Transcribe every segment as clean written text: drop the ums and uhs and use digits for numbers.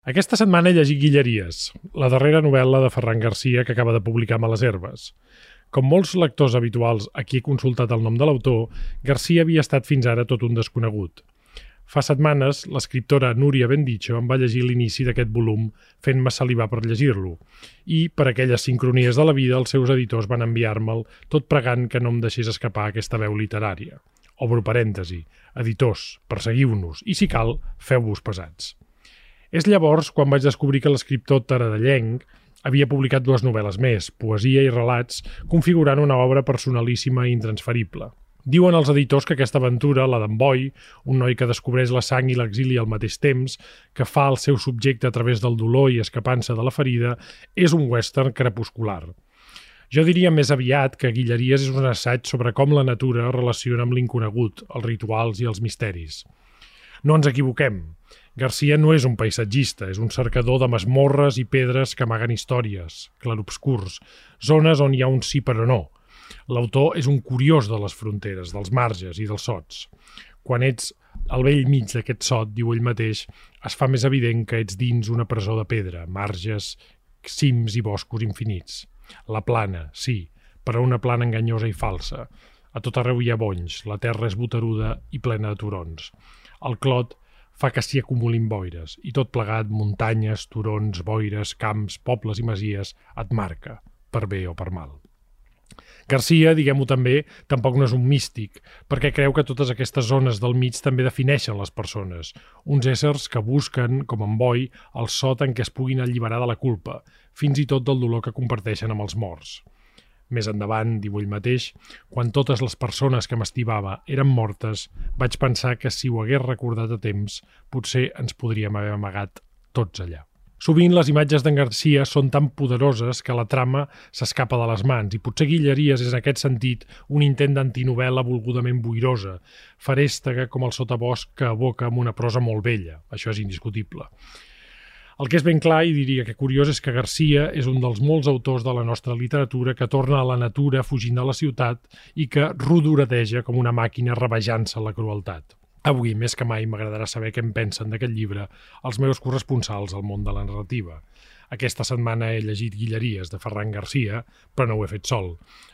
Aquesta setmana he llegit Guilleries, la darrera novel·la de Ferran Garcia que acaba de publicar Males herbes. Com molts lectors habituals a qui he consultat el nom de l'autor, Garcia havia estat fins ara tot un desconegut. Fa setmanes, l'escriptora Núria Bendicho em va llegir l'inici d'aquest volum fent-me salivar per llegir-lo i, per aquelles sincronies de la vida, els seus editors van enviar-me'l tot pregant que no em deixés escapar aquesta veu literària. Obro parèntesi, editors, perseguiu-nos i, si cal, feu-vos pesats. És llavors quan vaig descobrir que l'escriptor taradellenc havia publicat 2 novel·les més, poesia i relats, configurant una obra personalíssima i intransferible. Diuen els editors que aquesta aventura, la d'en Boi, un noi que descobreix la sang i l'exili al mateix temps, que fa el seu subjecte a través del dolor i escapant-se de la ferida, és un western crepuscular. Jo diria més aviat que Guilleries és un assaig sobre com la natura es relaciona amb l'inconegut, els rituals i els misteris. No ens equivoquem. Garcia no és un paisatgista, és un cercador de masmorres i pedres que amaguen històries, clarobscurs, zones on hi ha un sí però no. L'autor és un curiós de les fronteres, dels marges i dels sots. Quan ets al vell mig d'aquest sot, diu ell mateix, es fa més evident que ets dins una presó de pedra, marges, cims i boscos infinits. La plana, sí, però una plana enganyosa i falsa. A tot arreu hi ha bonys, la terra és boteruda i plena de turons. El clot fa que s'hi acumulin boires, i tot plegat, muntanyes, turons, boires, camps, pobles i masies, et marca, per bé o per mal. Garcia, diguem-ho també, tampoc no és un místic, perquè creu que totes aquestes zones del mig també defineixen les persones, uns éssers que busquen, com en Boi, el sot en què es puguin alliberar de la culpa, fins i tot del dolor que comparteixen amb els morts. Més endavant, diu ell mateix, quan totes les persones que m'estimava eren mortes, vaig pensar que si ho hagués recordat a temps, potser ens podríem haver amagat tots allà. Sovint les imatges d'en Garcia són tan poderoses que la trama s'escapa de les mans i potser Guilleries és en aquest sentit un intent d'antinovel·la volgudament boirosa, ferèstega com el sotabosc que evoca amb una prosa molt vella, això és indiscutible. El que és ben clar, i diria que curiós, és que Garcia és un dels molts autors de la nostra literatura que torna a la natura fugint de la ciutat i que rodoredeja com una màquina rebejant-se la crueltat. Avui, més que mai, m'agradarà saber què en pensen d'aquest llibre els meus corresponsals al món de la narrativa. Aquesta setmana he llegit Guilleries de Ferran Garcia, però no ho he fet sol.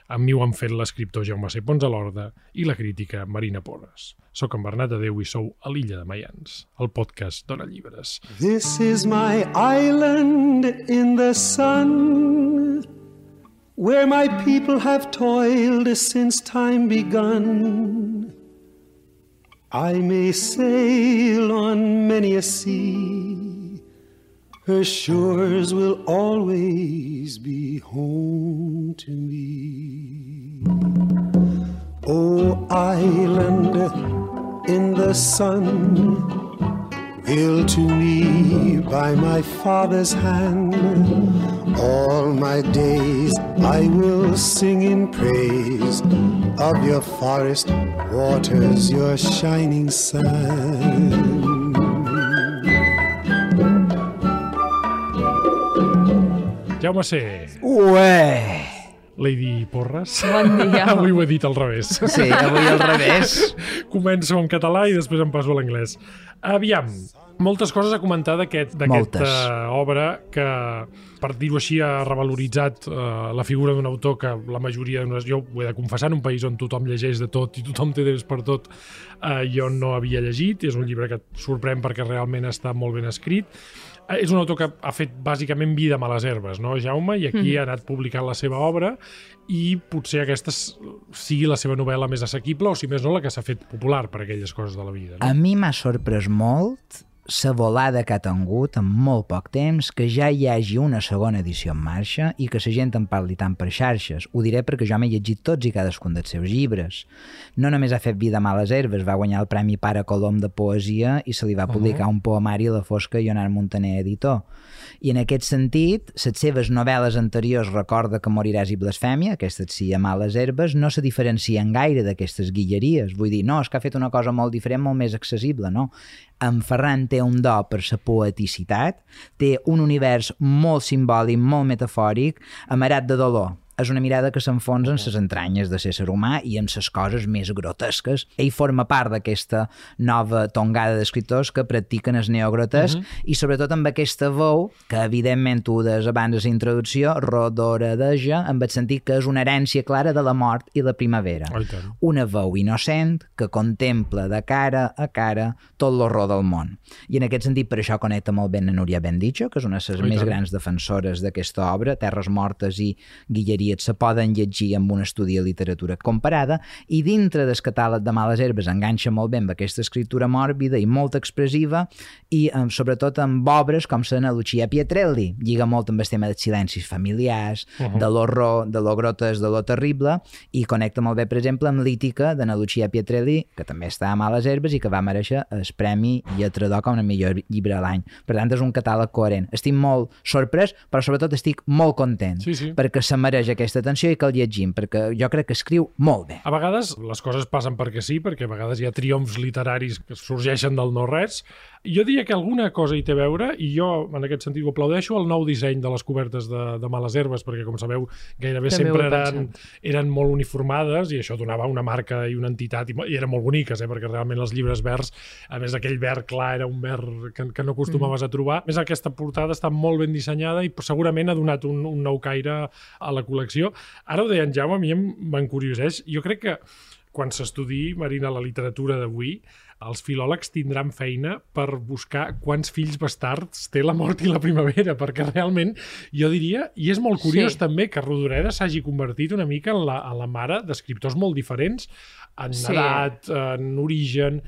Amb mi ho han fet l'escriptor Jaume C. Ponsalorda i la crítica Marina Porres. Soc en Bernat Adeu i sou a l'Illa de Maians, el podcast Dona Llibres. This is my island in the sun, where my people have toiled since time begun. I may sail on many a sea, her shores will always be home to me. Oh, island in the sun, built to me by my father's hand, all my days I will sing in praise of your forest waters, your shining sun. Jaume C. Ué! Lady Porres. Bon dia. Avui ho he dit al revés. Sí, avui al revés. Començo en català i després em passo a l'anglès. Aviam, moltes coses a comentar d'aquesta obra que, per dir-ho així, ha revaloritzat la figura d'un autor que la majoria, jo ho he de confessar, en un país on tothom llegeix de tot i tothom té temps per tot, jo no havia llegit. És un llibre que et sorprèn perquè realment està molt ben escrit. És un autor que ha fet bàsicament vida a Males herbes, no, Jaume? I aquí ha anat publicant la seva obra i potser aquesta sigui la seva novel·la més assequible o, si més no, la que s'ha fet popular per aquelles coses de la vida. No? A mi m'ha sorprès molt la volada que ha tingut en molt poc temps, que ja hi hagi una segona edició en marxa i que la gent en parli tant per xarxes. Ho diré perquè jo m'he llegit tots i cadascun dels seus llibres. No només ha fet vida a Males herbes, va guanyar el Premi Pare Colom de Poesia i se li va publicar un poemari a la Fosca i Leonard Montaner, editor. I en aquest sentit, les seves novel·les anteriors, Recorda que moriràs i Blasfèmia, aquestes sí a Males herbes, no se diferencien gaire d'aquestes Guilleries. Vull dir, no, és que ha fet una cosa molt diferent, molt més accessible, no? En Ferran té un do per la poeticitat, té un univers molt simbòlic, molt metafòric, amarat de dolor. és una mirada que s'enfonsa en les entranyes de l'ésser humà i en les coses més grotesques. Ell forma part d'aquesta nova tongada d'escriptors que practiquen el neogrotesc i sobretot amb aquesta veu que evidentment tu des abans de la introducció rodoredeja amb el sentit que és una herència clara de la mort i la primavera. Una veu innocent que contempla de cara a cara tot l'horror del món. I en aquest sentit per això connecta molt ben a Núria Bendicho, que és una de les més grans defensores d'aquesta obra. Terres mortes i Guilleries se poden llegir amb un estudi de literatura comparada i dintre del catàleg de Males herbes enganxa molt bé amb aquesta escriptura mòrbida i molt expressiva i sobretot amb obres com la Lucia Pietrelli. Lliga molt amb el tema dels silencis familiars, de l'horror, de lo grotesc, de lo terrible i connecta molt bé, per exemple, amb Lítica de Lucia Pietrelli, que també està a Males herbes i que va mereixer el Premi Lletrador com a millor llibre de l'any. Per tant, és un catàleg coherent. Estic molt sorprès, però sobretot estic molt content perquè se mereix aquesta atenció i que el llegim, perquè jo crec que escriu molt bé. A vegades les coses passen perquè sí, perquè a vegades hi ha triomfs literaris que sorgeixen del no-res. Jo diria que alguna cosa hi té a veure, i jo en aquest sentit ho aplaudeixo, el nou disseny de les cobertes de Males herbes, perquè com sabeu gairebé sempre eren molt uniformades i això donava una marca i una entitat i eren molt boniques, perquè realment els llibres verds, a més aquell verd clar era un verd que no acostumaves a trobar. A més aquesta portada està molt ben dissenyada i segurament ha donat un nou caire a la col·lecció. Ara ho deia en Jaume, a mi m'encurioseix. Jo crec que quan s'estudiï, Marina, la literatura d'avui, els filòlegs tindran feina per buscar quants fills bastards té La mort i la primavera, perquè realment jo diria, i és molt curiós també, que Rodoreda s'hagi convertit una mica en la mare d'escriptors molt diferents en edat, en origen,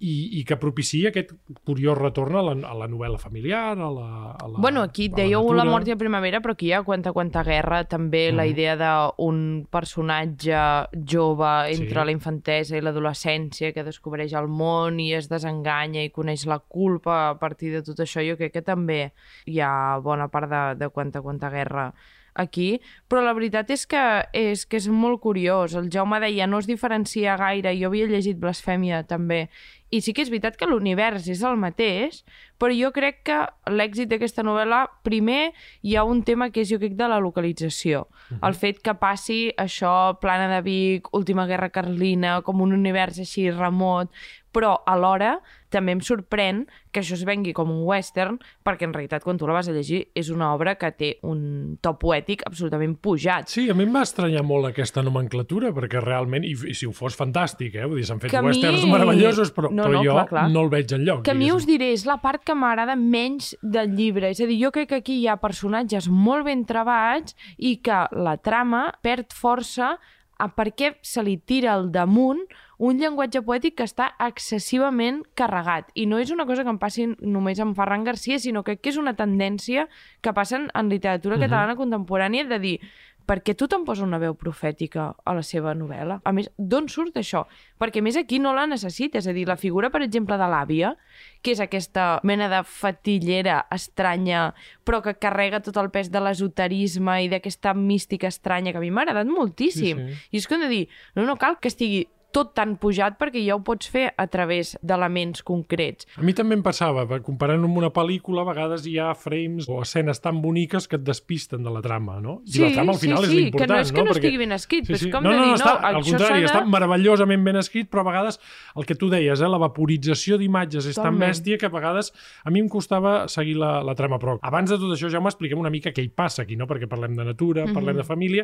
i que propicia aquest curiós retorn a la novel·la familiar, a la Bueno, aquí dèieu La mort i la primavera, però aquí hi ha Quanta guerra, també la idea d'un personatge jove entre la infantesa i l'adolescència que descobreix el món i es desenganya i coneix la culpa a partir de tot això. Jo crec que també hi ha bona part de Quanta guerra aquí, però la veritat és que és molt curiós. El Jaume deia, no es diferencia gaire, jo havia llegit Blasfèmia també, i sí que és veritat que l'univers és el mateix, però jo crec que l'èxit d'aquesta novel·la, primer hi ha un tema que és, jo crec, de la localització. El fet que passi això, Plana de Vic, Última Guerra Carlina, com un univers així remot, però alhora també em sorprèn que això es vengui com un western, perquè en realitat quan tu la vas a llegir és una obra que té un to poètic absolutament pujat. Sí, a mi em va estranyar molt aquesta nomenclatura, perquè realment, i si ho fos fantàstic, vull dir, s'han fet westerns meravellosos, però jo no el veig enlloc. Que a mi us diré, és la part que m'agrada menys del llibre, és a dir, jo crec que aquí hi ha personatges molt ben trebats i que la trama perd força perquè se li tira al damunt un llenguatge poètic que està excessivament carregat. I no és una cosa que em passi només amb Ferran Garcia, sinó que és una tendència que passa en literatura catalana contemporània de dir, per què tothom posa una veu profètica a la seva novel·la? A més, d'on surt això? Perquè més aquí no la necessita. És a dir, la figura, per exemple, de l'àvia, que és aquesta mena de fatillera estranya, però que carrega tot el pes de l'esoterisme i d'aquesta mística estranya, que a mi m'ha agradat moltíssim. I és que hem de dir, no cal que estigui tot tan pujat perquè ja ho pots fer a través d'elements concrets. A mi també em passava, comparant amb una pel·lícula, a vegades hi ha frames o escenes tan boniques que et despisten de la trama, no? I la trama al final és l'important, que no és que no estigui ben escrit, però és com de dir, al contrari, està meravellosament ben escrit, però a vegades el que tu deies, la vaporització d'imatges és tan bèstia que a vegades a mi em costava seguir la trama, però abans de tot això ja m'expliquem una mica què hi passa aquí, no? Perquè parlem de natura, parlem de família,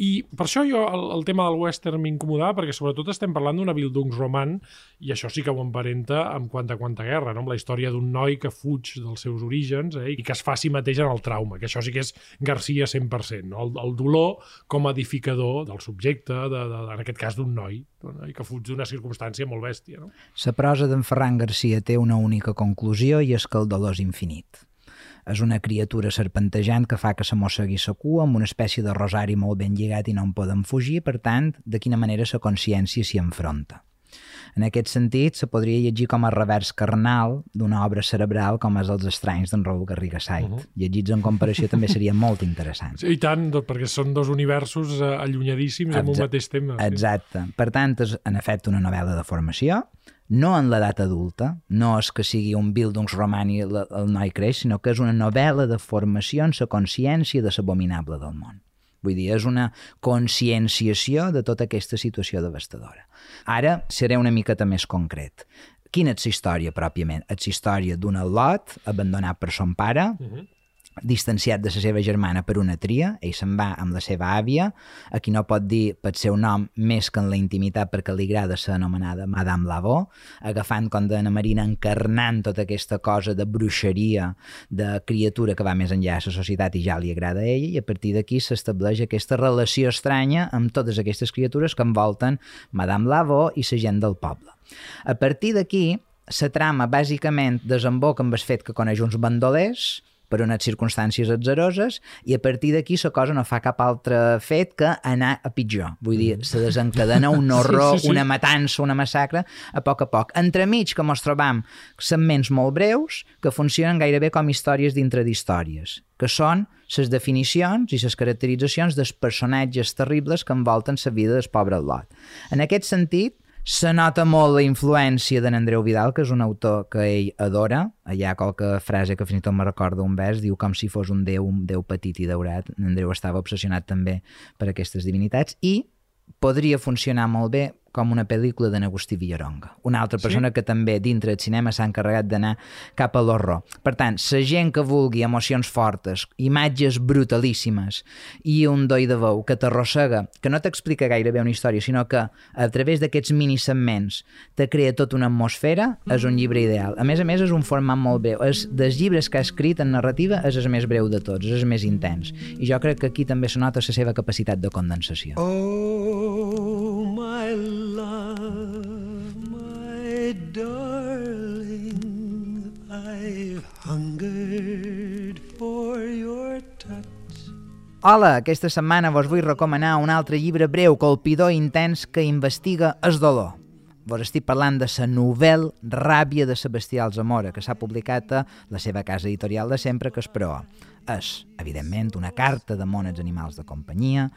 i per això jo el tema del western m'incomodava, perquè sobretot estem parlant d'una Bildungsroman i això sí que ho emparenta amb Quanta guerra, no? Amb la història d'un noi que fuig dels seus orígens i que es fa a si mateix en el trauma, que això sí que és Garcia 100%, no? El dolor com a edificador del subjecte, en aquest cas d'un noi, i que fuig d'una circumstància molt bèstia. No? La prosa d'en Ferran Garcia té una única conclusió i és que el dolor és infinit. És una criatura serpentejant que fa que se mossegui sa cua amb una espècie de rosari molt ben lligat i no en poden fugir, per tant, de quina manera la consciència s'hi enfronta. En aquest sentit, se podria llegir com a revers carnal d'una obra cerebral com és Els estranys d'en Raül Garriga Sait. Llegits en comparació també seria molt interessant. Sí, i tant, perquè són dos universos allunyadíssims en un mateix tema. Exacte. Per tant, és en efecte una novel·la de formació, no en l'edat adulta, no és que sigui un Bildungsroman i el noi creix, sinó que és una novel·la de formació en la consciència de l'abominable del món. Vull dir, és una conscienciació de tota aquesta situació devastadora. Ara seré una miqueta més concret. Quina és la història, pròpiament? És la història d'un Lot abandonat per son pare, distanciat de la seva germana per una tria, ell se'n va amb la seva àvia, a qui no pot dir pel seu nom més que en la intimitat perquè li agrada ser anomenada Madame Lavaux, agafant, com de Ana Marina, encarnant tota aquesta cosa de bruixeria, de criatura que va més enllà de la societat i ja li agrada a ella, i a partir d'aquí s'estableix aquesta relació estranya amb totes aquestes criatures que envolten Madame Lavaux i la gent del poble. A partir d'aquí, la trama bàsicament desemboca amb el fet que coneix uns bandolers per unes circumstàncies atzaroses, i a partir d'aquí la cosa no fa cap altre fet que anar a pitjor. Vull dir, se desencadena un horror, una matança, una massacre, a poc. Entremig que mos trobam segments molt breus que funcionen gairebé com històries dintre d'històries, que són les definicions i les caracteritzacions dels personatges terribles que envolten la vida del pobre Lot. En aquest sentit, se nota molt la influència d'en Andreu Vidal, que és un autor que ell adora. Hi ha qualque frase que fins i tot me recorda un vers, diu com si fos un déu petit i daurat. En Andreu estava obsessionat també per aquestes divinitats, i podria funcionar molt bé com una pel·lícula d'en Agustí Villaronga, una altra persona que també dintre del cinema s'ha encarregat d'anar cap a l'horror. Per tant, la gent que vulgui emocions fortes, imatges brutalíssimes i un doi de veu que t'arrossega, que no t'explica gaire bé una història, sinó que a través d'aquests minisegments te crea tota una atmosfera, és un llibre ideal. A més, és un format molt bé. És dels llibres que ha escrit en narrativa, és el més breu de tots, és el més intens. I jo crec que aquí també se nota la seva capacitat de condensació. Oh, my love, my darling, I've hungered for your touch. Hola, aquesta setmana vos vull recomanar un altre llibre breu, colpidor i intens que investiga el dolor. Vos estic parlant de la novel·la Ràbia de Sebastià Alsamora, que s'ha publicat a la seva casa editorial de sempre, que és Proa. És, evidentment, una carta d'amor als animals de companyia,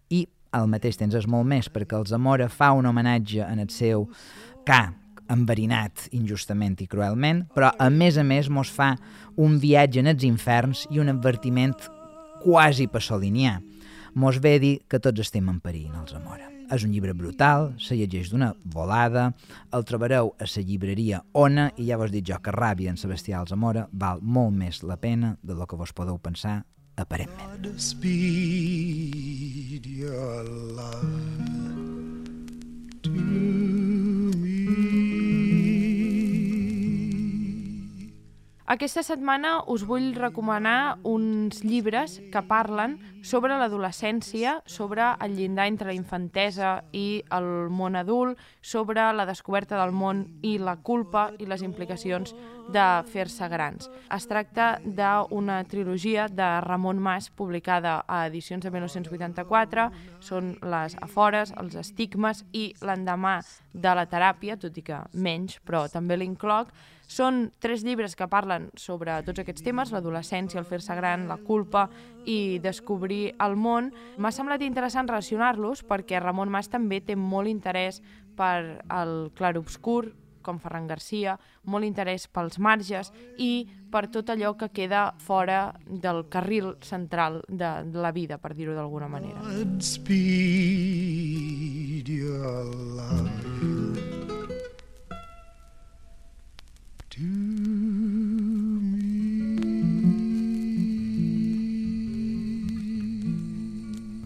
i al mateix temps és molt més, perquè el Zamora fa un homenatge en el seu ca enverinat injustament i cruelment, però a més mos fa un viatge en els inferns i un advertiment quasi pasolinià. Mos ve dir que tots estem en perill en el Zamora. És un llibre brutal, se llegeix d'una volada, el trobareu a la llibreria Ona, i ja vos dic jo que Ràbia en Sebastià Alsamora val molt més la pena de lo que vos podeu pensar aparentment. Speed your love to me. Aquesta setmana us vull recomanar uns llibres que parlen sobre l'adolescència, sobre el llindar entre la infantesa i el món adult, sobre la descoberta del món i la culpa i les implicacions de fer-se grans. Es tracta d'una trilogia de Ramon Mas publicada a edicions de 1984. Són les Afores, els Estigmes i l'Endemà de la teràpia, tot i que menys, però també l'incloc. Són 3 llibres que parlen sobre tots aquests temes, l'adolescència, el fer-se gran, la culpa i descobrir el món. M'ha semblat interessant relacionar-los perquè Ramon Mas també té molt interès per el clarobscur, com Ferran Garcia, molt interès pels marges i per tot allò que queda fora del carril central de la vida, per dir-ho d'alguna manera. Speed your love to me.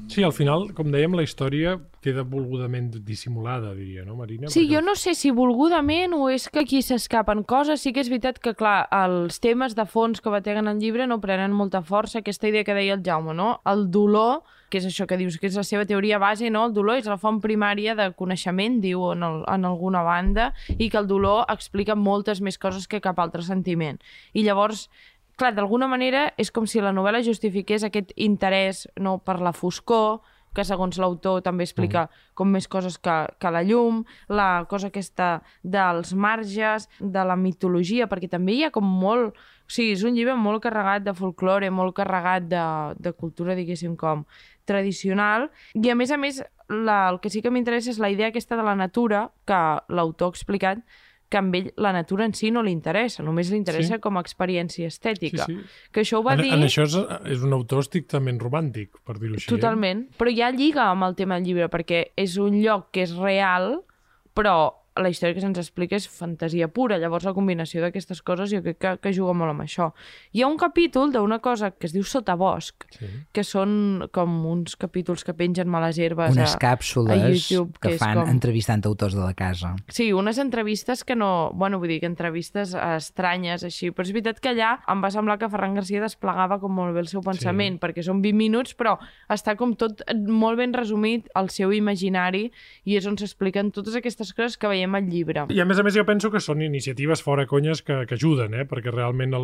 Sí, al final, com dèiem, la història queda volgudament dissimulada, diria, no, Marina? Sí, jo no sé si volgudament o és que aquí s'escapen coses. Sí que és veritat que, clar, els temes de fons que bateguen el llibre no prenen molta força. Aquesta idea que deia el Jaume, no? El dolor, que és això que dius, que és la seva teoria base, no? El dolor és la font primària de coneixement, diu en alguna banda, i que el dolor explica moltes més coses que cap altre sentiment. I llavors, clar, d'alguna manera és com si la novel·la justifiqués aquest interès, no, per la foscor, que segons l'autor també explica com més coses que la llum, la cosa aquesta dels marges, de la mitologia, perquè també hi ha com molt... O sigui, és un llibre molt carregat de folklore, molt carregat de cultura, diguéssim, com tradicional, i a més, el que sí que m'interessa és la idea aquesta de la natura, que l'autor ha explicat, que amb ell la natura en si no li interessa, només li interessa com a experiència estètica. Que això ho va dir... En això és un autor estrictament romàntic, per dir-ho així. Totalment, però ja lliga amb el tema del llibre, perquè és un lloc que és real, però la història que se'ns explica és fantasia pura. Llavors la combinació d'aquestes coses jo crec que juga molt amb això. Hi ha un capítol d'una cosa que es diu Sotabosc, que són com uns capítols que pengen a les herbes unes càpsules a YouTube, que fan entrevistant autors de la casa. Sí, unes entrevistes que no... Bueno, vull dir que entrevistes estranyes, així. Però és veritat que allà em va semblar que Ferran García desplegava com molt bé el seu pensament, perquè són 20 minuts, però està com tot molt ben resumit al seu imaginari i és on s'expliquen totes aquestes coses que veiem al llibre. I a més jo penso que són iniciatives fora conyes que ajuden, perquè realment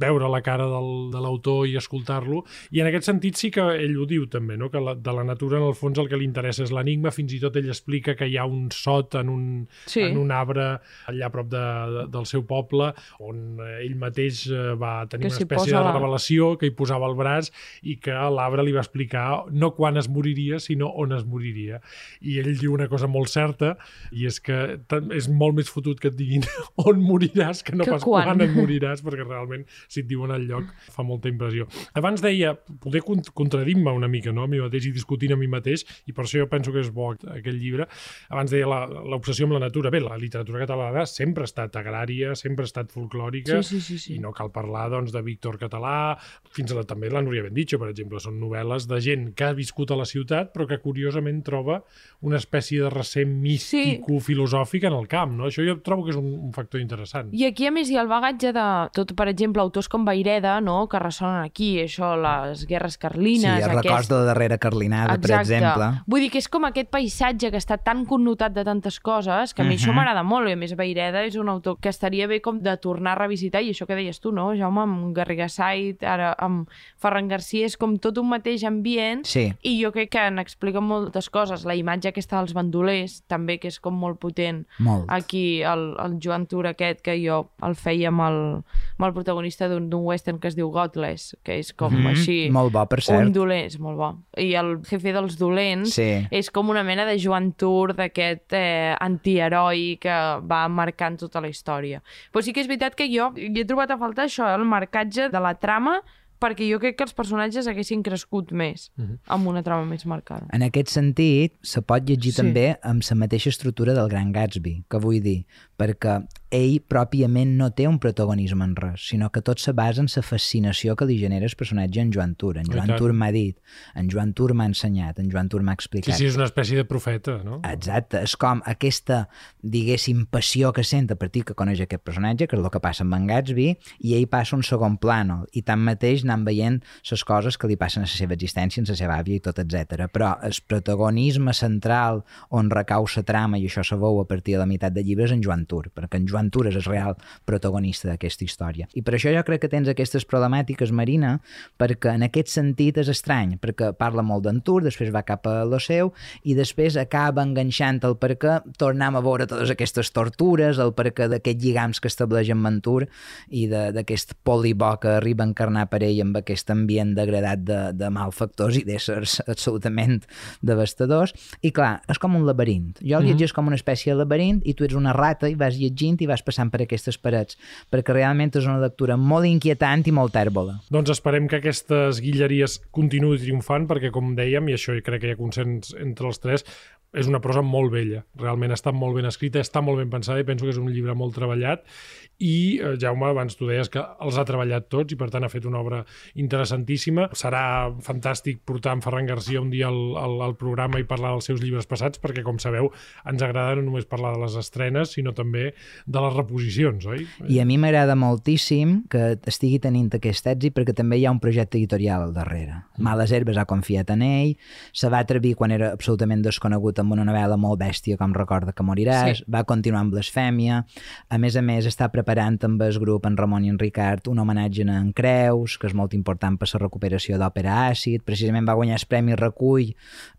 veure la cara de l'autor i escoltar-lo, i en aquest sentit sí que ell ho diu també, no? Que de la natura en el fons el que li interessa és l'enigma, fins i tot ell explica que hi ha un sot en un arbre allà a prop del seu poble, on ell mateix va tenir una espècie de revelació, que hi posava el braç i que l'arbre li va explicar no quan es moriria, sinó on es moriria. I ell diu una cosa molt certa, i és que és molt més fotut que et diguin on moriràs que no pas quan et moriràs, perquè realment si et diuen el lloc fa molta impressió. Abans deia, poder contradir-me una mica, no? A mi mateix i discutint a mi mateix, i per això jo penso que és bo aquest llibre. Abans deia l'obsessió amb la natura. Bé, la literatura catalana sempre ha estat agrària, sempre ha estat folclòrica, i no cal parlar doncs, de Víctor Català, fins a també la Núria Bendicho, per exemple. Són novel·les de gent que ha viscut a la ciutat, però que curiosament troba una espècie de recer místico-filosòfic en el camp, no? Això jo trobo que és un factor interessant. I aquí, a més, hi ha el bagatge de tot, per exemple, autors com Vayreda, no?, que ressonen aquí, això, les guerres carlines... Sí, el records de la darrera carlinada, per exemple. Vull dir que és com aquest paisatge que està tan connotat de tantes coses, que a mi això m'agrada molt, i a més Vayreda és un autor que estaria bé com de tornar a revisitar, i això que deies tu, no, Jaume, amb Garriga Said, ara amb Ferran García, és com tot un mateix ambient, i jo crec que n'explica moltes coses. La imatge aquesta dels bandolers, també, que és com molt potent. Aquí el Joan Tur aquest, que jo el feia amb el protagonista d'un western que es diu Godless, que és com així... Molt bo, per cert. Un dolent, és molt bo. I el jefe dels dolents és com una mena de Joan Tur, d'aquest antiheroi que va marcant tota la història. Però sí que és veritat que jo hi he trobat a faltar això, el marcatge de la trama, perquè jo crec que els personatges haguessin crescut més amb una trama més marcada. En aquest sentit, se pot llegir també amb la mateixa estructura del Gran Gatsby, que vull dir, perquè ell pròpiament no té un protagonisme en res, sinó que tot se basa en la fascinació que li genera el personatge en Joan Tur. En Joan Tur m'ha dit, en Joan Tur m'ha ensenyat, en Joan Tur m'ha explicat. Sí, és una espècie de profeta, no? Exacte, és com aquesta, diguéssim, passió que sent a partir que coneix aquest personatge, que és el que passa amb en Gatsby, i ell passa un segon plànol, i tanmateix anant veient les coses que li passen a la seva existència, en la seva àvia i tot, etc. Però el protagonisme central on recau la trama, i això se veu a partir de la meitat del llibre, és en Joan Tur, perquè en Joan Tur és el real protagonista d'aquesta història. I per això jo crec que tens aquestes problemàtiques, Marina, perquè en aquest sentit és estrany, perquè parla molt d'en Tur, després va cap a lo seu, i després acaba enganxant el perquè tornem a veure totes aquestes tortures, el perquè d'aquests lligams que estableix en Tur i d'aquest polibó que arriba a encarnar per ell amb aquest ambient degradat de malfactors i d'éssers absolutament devastadors. I clar, és com un laberint. Jo el llegeix com una espècie de laberint i tu ets una rata i vas llegint i vas passant per aquestes parets, perquè realment és una lectura molt inquietant i molt tèrbola. Doncs esperem que aquestes guilleries continuïn triomfant, perquè com dèiem, i això crec que hi ha consens entre els tres, és una prosa molt bella, realment està molt ben escrita, està molt ben pensada i penso que és un llibre molt treballat i, Jaume, abans tu deies que els ha treballat tots i per tant ha fet una obra interessantíssima. Serà fantàstic portar en Ferran García un dia al programa i parlar dels seus llibres passats perquè, com sabeu, ens agrada no només parlar de les estrenes, sinó també de les reposicions, oi? I a mi m'agrada moltíssim que estigui tenint aquest èxit perquè també hi ha un projecte editorial al darrere. Males Herbes ha confiat en ell, se va atrevir quan era absolutament desconegut amb una novel·la molt bèstia com Recorda que moriràs, va continuar amb Blasfèmia, a més està preparant amb el grup en Ramon i en Ricard un homenatge a en Creus, que és molt important per la recuperació d'Òpera Àcid, precisament va guanyar el Premi Recull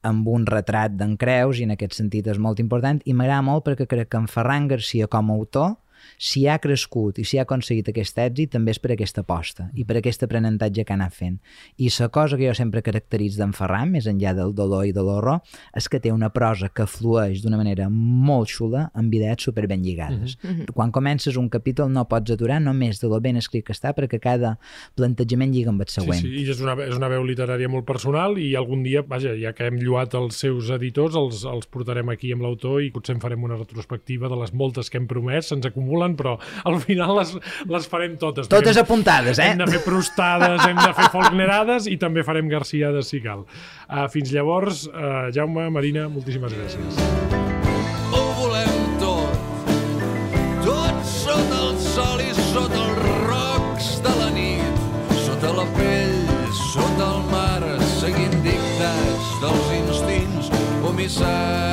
amb un retrat d'en Creus i en aquest sentit és molt important i m'agrada molt perquè crec que en Ferran García com a autor si ha crescut i si ha aconseguit aquest èxit també és per aquesta aposta i per aquest aprenentatge que ha anat fent. I la cosa que jo sempre caracteritzo d'en Ferran, més enllà del dolor i de l'horror, és que té una prosa que flueix d'una manera molt xula amb idees super ben lligades. Quan comences un capítol no pots aturar només de lo ben escrit que està perquè cada plantejament lliga amb el següent. Sí, i és una veu literària molt personal i algun dia, vaja, ja que hem lloat els seus editors, els portarem aquí amb l'autor i potser en farem una retrospectiva de les moltes que hem promès, se'ns acumulen, però al final les farem totes. Totes apuntades, Hem de fer Prustades, hem de fer Faulknerades i també farem Garciades si cal. Fins llavors, Jaume, Marina, moltíssimes gràcies. Ho volem tot sota el sol i sota els rocs de la nit, sota la pell, sota el mar, seguint dictats dels instints o missatges